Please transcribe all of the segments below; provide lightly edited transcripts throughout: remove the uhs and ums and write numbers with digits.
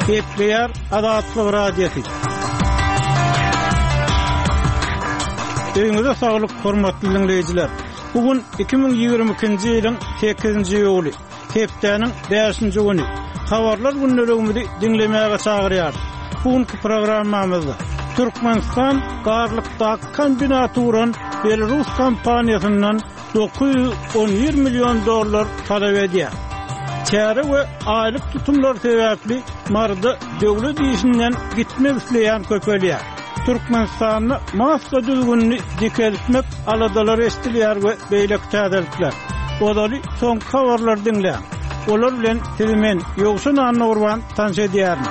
Gepleýär Azatlyk Radiosy. Öýüňize saglyk, hormatly diňleýjiler! Bu gün 2022-nji ýylyň sekizinji iýuly, hepdäniň bäşinji güni. Habarlar gündeligimizi diňlemäge çagyrýarys. Bu günki programmamyzda Türkmenistan Garlykdaky kombinaty guran belarus kompaniýasyndan 911 million dollar talap edýär. Çäre we aýlyk tutumlar sebäpli Maryda döwlet işinden gitmek isleýän köpelýär. Türkmenistanda maska düzgünini dikeltmek aladalary eşidilýär we beýleki täzelikler. Ozaly soňky habarlary diňläň. Olar bilen sizi men, Ýowşan Annagurban tanyş edýärin.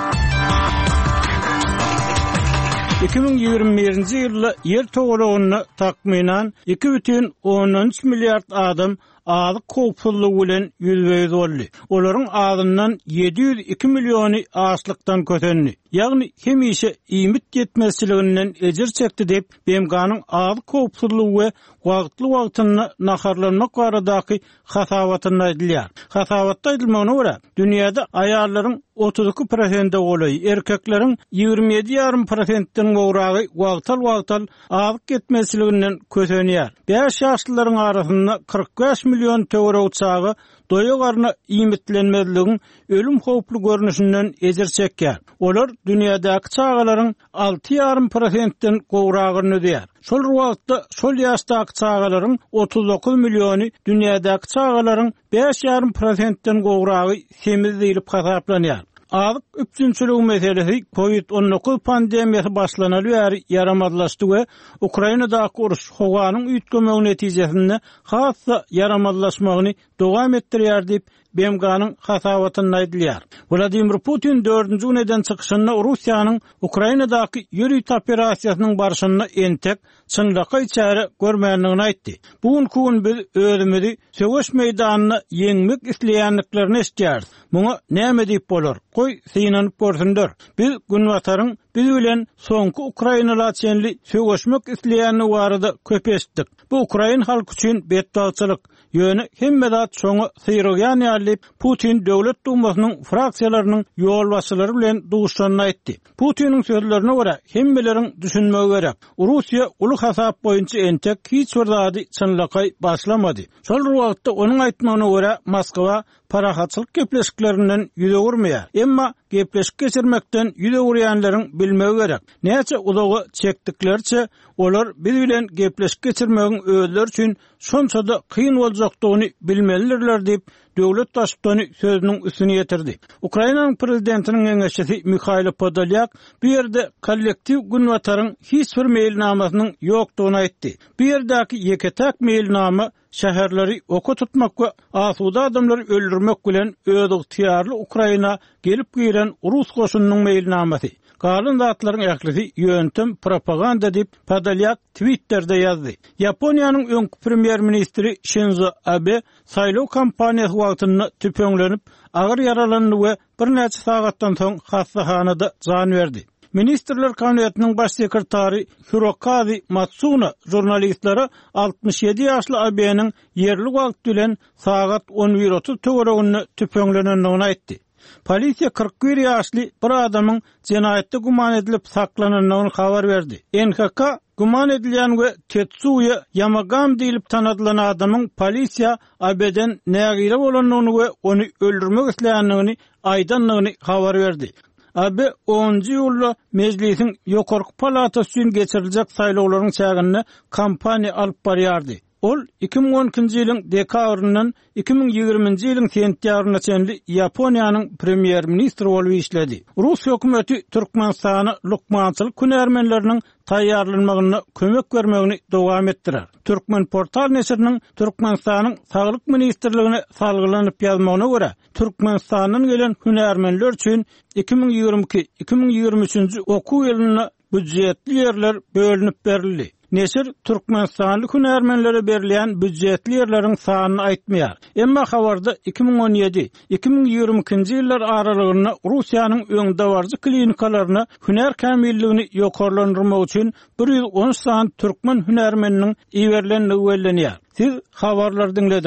2021-nji ýylda Ýer togalagynda takmynan 2,3 milliard adam azyk howpsuzlygy bilen ýüzbe-ýüz boldy. Olaryň azyndan 702 milliony açlykdan kösendi, ýagny hemişe iýmit ýetmezçiliginden ejir çekdi diýip, BMG-niň azyk howpsuzlygy we wagtly-wagtynda naharlanmak baradaky hasabatynda aýdylýar. Hasabatda aýdylmagyna görä, dünýäde aýallaryň 32 prosente golaýy, erkekleriň 27 ýarym prosentden gowragy wagtal-wagtal azyk ýetmezçiliginden kösenýär. Bäş ýaşlylaryň arasynda 45 million töweregi çaga doýa garna iýmitlenmezligiň ölüm howply görnüşinden ejir çekýär. Olar dünýädäki çagalaryň alty ýarym prosentden gowragyny düzýär. Şol bir wagtda, şol ýaşdaky çagalaryň 39 milliony dünýädäki çagalaryň bäş ýarym prosentden gowragy semiz diýlip hasaplanýar. Azyk üpjünçiligi meselesi Covid 19 pandemiýasy başlanaly bäri ýaramazlaşdy we Ukrainadaky uruş howanyň üýtgemegi netijesinde has-da ýaramazlaşmagyny dowam etdirýär diýip, BMG-niň hasabatynda aýdylýar. Wladimir Putin dördünji gün eden çykyşynda Russiýanyň Ukrainadaky ýörite operasiýasynyň barşynda entek çynlakaý çäre görmändigini aýtdy. Bu günki gün biz özümizi söweş meýdanynda ýeňmek isleýändiklerini eşidýäris. Muňa näme diýip bolar? Goý, synanyp görsünler. Biz Günbataryň biz bilen soňky ukrainala çenli söweşmek isleýändigi barada köp eşitdik. Bu ukrain halky üçin betbagtçylyk. Ýöne hemme zat şoňa syrygýan ýaly diýip, Putin Döwlet Dumasynyň fraksiýalarynyň ýolbaşçylary bilen duşuşanda aýtdy. Putiniň sözlerine görä, hemmeleriň düşünmegi gerek, Russiýa uly hasap boýunça entek hiç bir zady çynlakaý başlamady. Şol bir wagtda, onuň aýtmagyna görä, Moskwa parahatçylyk gepleşiklerinden ýüz öwürmeýär. Emma gepleşik geçirmekden ýüz öwürýänleriň bilmegi gerek, näçe uzaga çekdikleriçe, olar biz bilen gepleşik geçirmegiň özleri üçin şonça-da kyn boljakdygyny bilmelidirler diýip, döwlet Baştutany sözüniň üstüni ýetirdi. Ukrainanyň prezidentiniň geňeşçisi Mihailo Podolýak bu ýerde kollektiw Günbataryň hiç bir meýilnamasynyň ýokdugyny aýtdy. Bu ýerdäki ýeke-täk meýilnama şäherleri oka tutmak we asuda adamlary öldürmek bilen özygtyýarly Ukraina gelip giren rus goşunynyň meýilnamasy. Galan zatlaryň ählisi ýöntem propaganda diýip, Podolýak Twitterde ýazdy. Ýaponiýanyň öňki premýer-ministri Şinzo Abe saýlaw kampaniýasy wagtynda tüpeňlenip, agyr ýaralandy we birnäçe sagatdan soň hassahanada jan berdi. Ministrler Kabinetiniň baş sekretary Hirokazi Matsuno žurnalistlere 67 ýaşly Abeniň ýerli wagt bilen sagat 11:30 töwereginde tüpeňlenendigini aýtdy. Polisiýa 41 ýaşly bir adamyň jenaýatda güman edilip saklanandygyny habar berdi. NHK güman edilýän we Tetsuýa Ýamagami diýlip tanadylan adamyň polisiýa Abeden nägile bolandygyny we ony öldürmek isleýändigini aýdandygyny habar berdi. Abe onunjy iýulda Mejlisiň ýokarky palatasy üçin geçiriljek saýlawlaryň çäginde kampaniýa alyp barýardy. Ol 2012-nji ýylyň dekabryndan 2020-nji ýylyň sentýabryna çenli Ýaponiýanyň premýer-ministri bolup işledi. Rus hökümeti Türkmenistana lukmançylyk hünärmenleriniň taýýarlanmagynda kömek bermegini dowam etdirer. Türkmenportal neşiriniň Türkmenistanyň Saglyk ministrligine salgylanyp ýazmagyna görä, Türkmenistandan gelen hünärmenler üçin 2022, 2023-nji okuw ýylynda býujetli ýerler bölünip berildi. Neşir türkmenistanly hünärmenlere berilýän býujetli ýerleriň sanyny aýtmaýar. Emma habarda 2017, 2022-nji ýyllar aralygynda Russiýanyň öňdebaryjy klinikalaryna hünär kämilligini ýokarlandyrmak üçin 113 sany türkmen hünärmeniniň iberilendigi bellenýär. Siz habarlary diňlediňiz.